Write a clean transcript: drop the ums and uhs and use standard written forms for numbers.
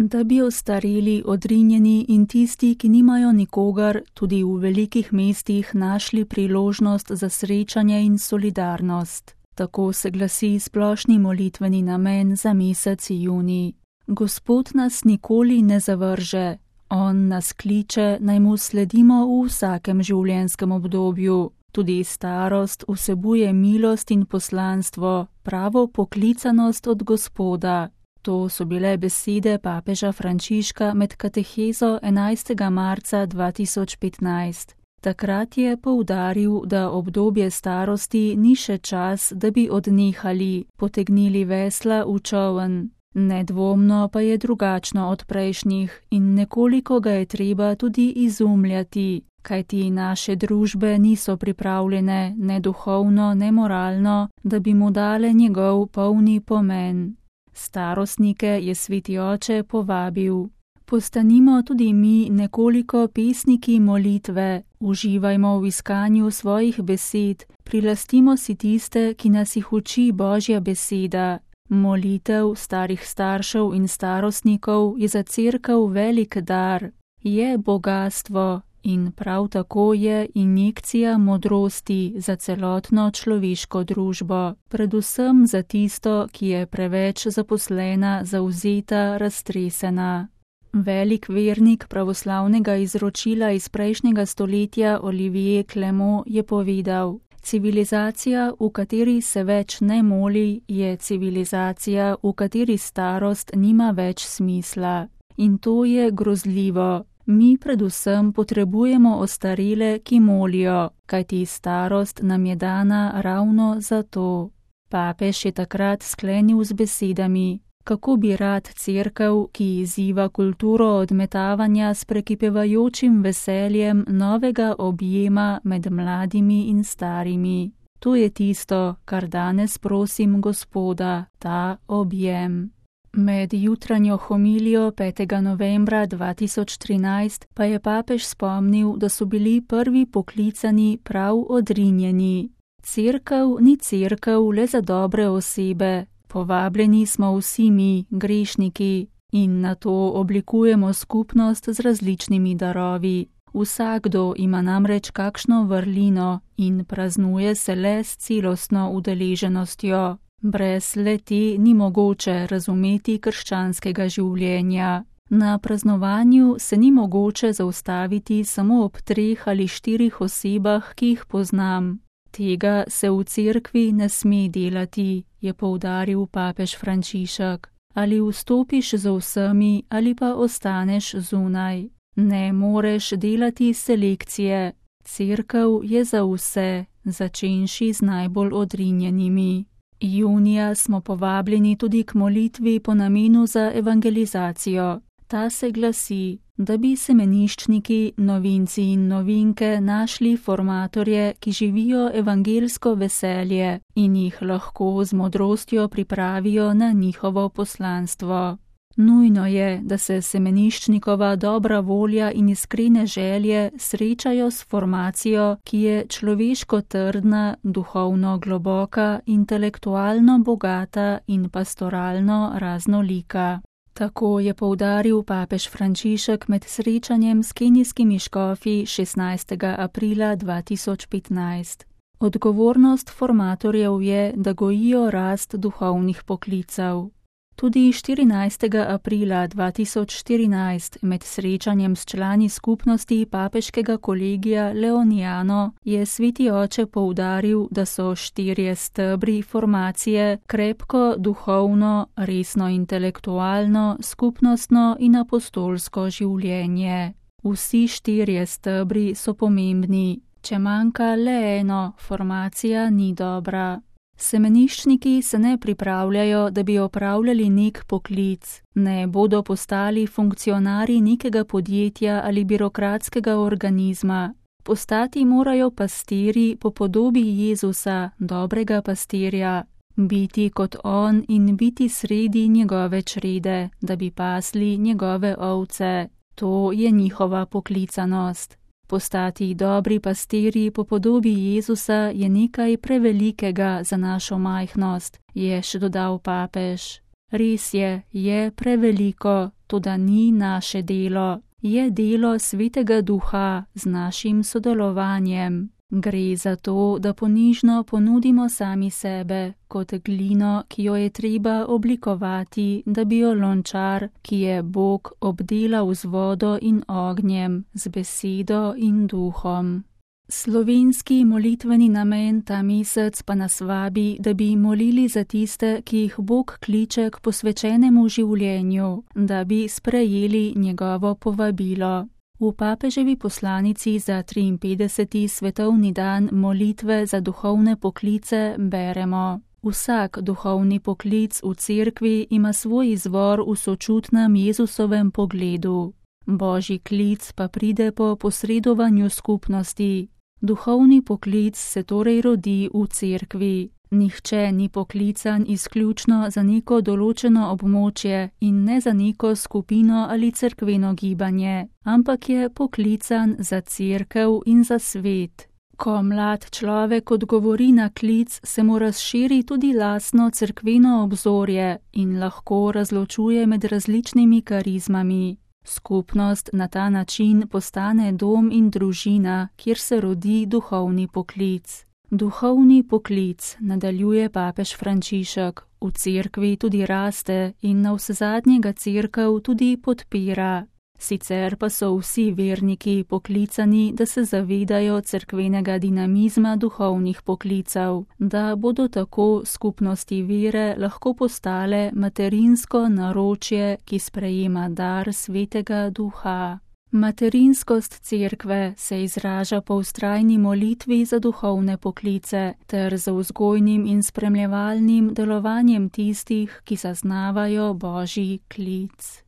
da bi ostareli, odrinjeni in tisti, ki nimajo nikogar, tudi v velikih mestih našli priložnost za srečanje in solidarnost. Tako se glasi splošni molitveni namen za mesec junij. Gospod nas nikoli ne zavrže. On nas kliče, naj mu sledimo v vsakem življenjskem obdobju. Tudi starost vsebuje milost in poslanstvo, pravo poklicanost od Gospoda. To so bile besede papeža Frančiška med katehezo 11. marca 2015. Takrat je poudaril, da obdobje starosti ni še čas, da bi odnehali, potegnili vesla v čoln. Nedvomno pa je drugačno od prejšnjih in nekoliko ga je treba tudi izumljati, kajti naše družbe niso pripravljene ne duhovno, ne moralno, da bi mu dale njegov polni pomen. Starostnike je sveti oče povabil. Postanimo tudi mi nekoliko pesniki molitve, uživajmo v iskanju svojih besed, prilastimo si tiste, ki nas jih uči Božja beseda. Molitev starih staršev in starostnikov je za cerkev velik dar, je bogastvo in prav tako je injekcija modrosti za celotno človeško družbo, predvsem za tisto, ki je preveč zaposlena, zavzeta, raztresena. Velik vernik pravoslavnega izročila iz prejšnjega stoletja Olivier Clément je povedal: civilizacija, v kateri se več ne moli, je civilizacija, v kateri starost nima več smisla. In to je grozljivo. Mi predvsem potrebujemo ostarele, ki molijo, kajti starost nam je dana ravno zato. Papež je takrat sklenil z besedami: kako bi rad cerkev, ki izziva kulturo odmetavanja s prekipevajočim veseljem novega objema med mladimi in starimi. To je tisto, kar danes prosim Gospoda, ta objem. Med jutranjo homilijo 5. novembra 2013 pa je papež spomnil, da so bili prvi poklicani prav odrinjeni. Cerkev ni cerkev le za dobre osebe. Povabljeni smo vsi mi, grešniki, in na to oblikujemo skupnost z različnimi darovi. Vsakdo ima namreč kakšno vrlino in praznuje se le s celostno udeleženostjo. Brez le-te ni mogoče razumeti krščanskega življenja. Na praznovanju se ni mogoče zaustaviti samo ob 3 ali 4 osebah, ki jih poznam. Tega se v cerkvi ne sme delati, je poudaril papež Frančišek. Ali vstopiš z vsemi ali pa ostaneš zunaj. Ne moreš delati selekcije. Cerkev je za vse, začenši z najbolj odrinjenimi. Junija smo povabljeni tudi k molitvi po namenu za evangelizacijo. Ta se glasi, da bi semeniščniki, novinci in novinke našli formatorje, ki živijo evangelsko veselje in jih lahko z modrostjo pripravijo na njihovo poslanstvo. Nujno je, da se semeniščnikova dobra volja in iskrene želje srečajo s formacijo, ki je človeško trdna, duhovno globoka, intelektualno bogata in pastoralno raznolika. Tako je poudaril papež Frančišek med srečanjem s kenijskimi škofi 16. aprila 2015. Odgovornost formatorjev je, da gojijo rast duhovnih poklicev. Tudi 14. aprila 2014 med srečanjem s člani skupnosti papeškega kolegija Leoniano je sveti oče poudaril, da so 4 stebri formacije krepko duhovno, resno intelektualno, skupnostno in apostolsko življenje. Vsi 4 stebri so pomembni. Če manjka le eno, formacija ni dobra. Semeniščniki se ne pripravljajo, da bi opravljali nek poklic, ne bodo postali funkcionarji nekega podjetja ali birokratskega organizma. Postati morajo pastirji po podobi Jezusa, dobrega pastirja, biti kot on in biti sredi njegove črede, da bi pasli njegove ovce. To je njihova poklicanost. Postati dobri pastirji po podobi Jezusa je nekaj prevelikega za našo majhnost, je še dodal papež. Res je preveliko, toda ni naše delo. Je delo Svetega Duha z našim sodelovanjem. Gre za to, da ponižno ponudimo sami sebe, kot glino, ki jo je treba oblikovati, da bi jo lončar, ki je Bog, obdelal z vodo in ognjem, z besedo in duhom. Slovenski molitveni namen ta mesec pa nas vabi, da bi molili za tiste, ki jih Bog kliče k posvečenemu življenju, da bi sprejeli njegovo povabilo. V papeževi poslanici za 53. svetovni dan molitve za duhovne poklice beremo: Vsak duhovni poklic v cerkvi ima svoj izvor v sočutnem Jezusovem pogledu. Božji klic pa pride po posredovanju skupnosti. Duhovni poklic se torej rodi v cerkvi. Nihče ni poklican izključno za neko določeno območje in ne za neko skupino ali cerkveno gibanje, ampak je poklican za cerkev in za svet. Ko mlad človek odgovori na klic, se mu razširi tudi lastno cerkveno obzorje in lahko razločuje med različnimi karizmami. Skupnost na ta način postane dom in družina, kjer se rodi duhovni poklic. Duhovni poklic, nadaljuje papež Frančišek, v cerkvi tudi raste in navsezadnje ga cerkev tudi podpira. Sicer pa so vsi verniki poklicani, da se zavedajo cerkvenega dinamizma duhovnih poklicev, da bodo tako skupnosti vere lahko postale materinsko naročje, ki sprejema dar Svetega Duha. Materinskost cerkve se izraža po vztrajni molitvi za duhovne poklice ter za vzgojnim in spremljevalnim delovanjem tistih, ki zaznavajo Božji klic.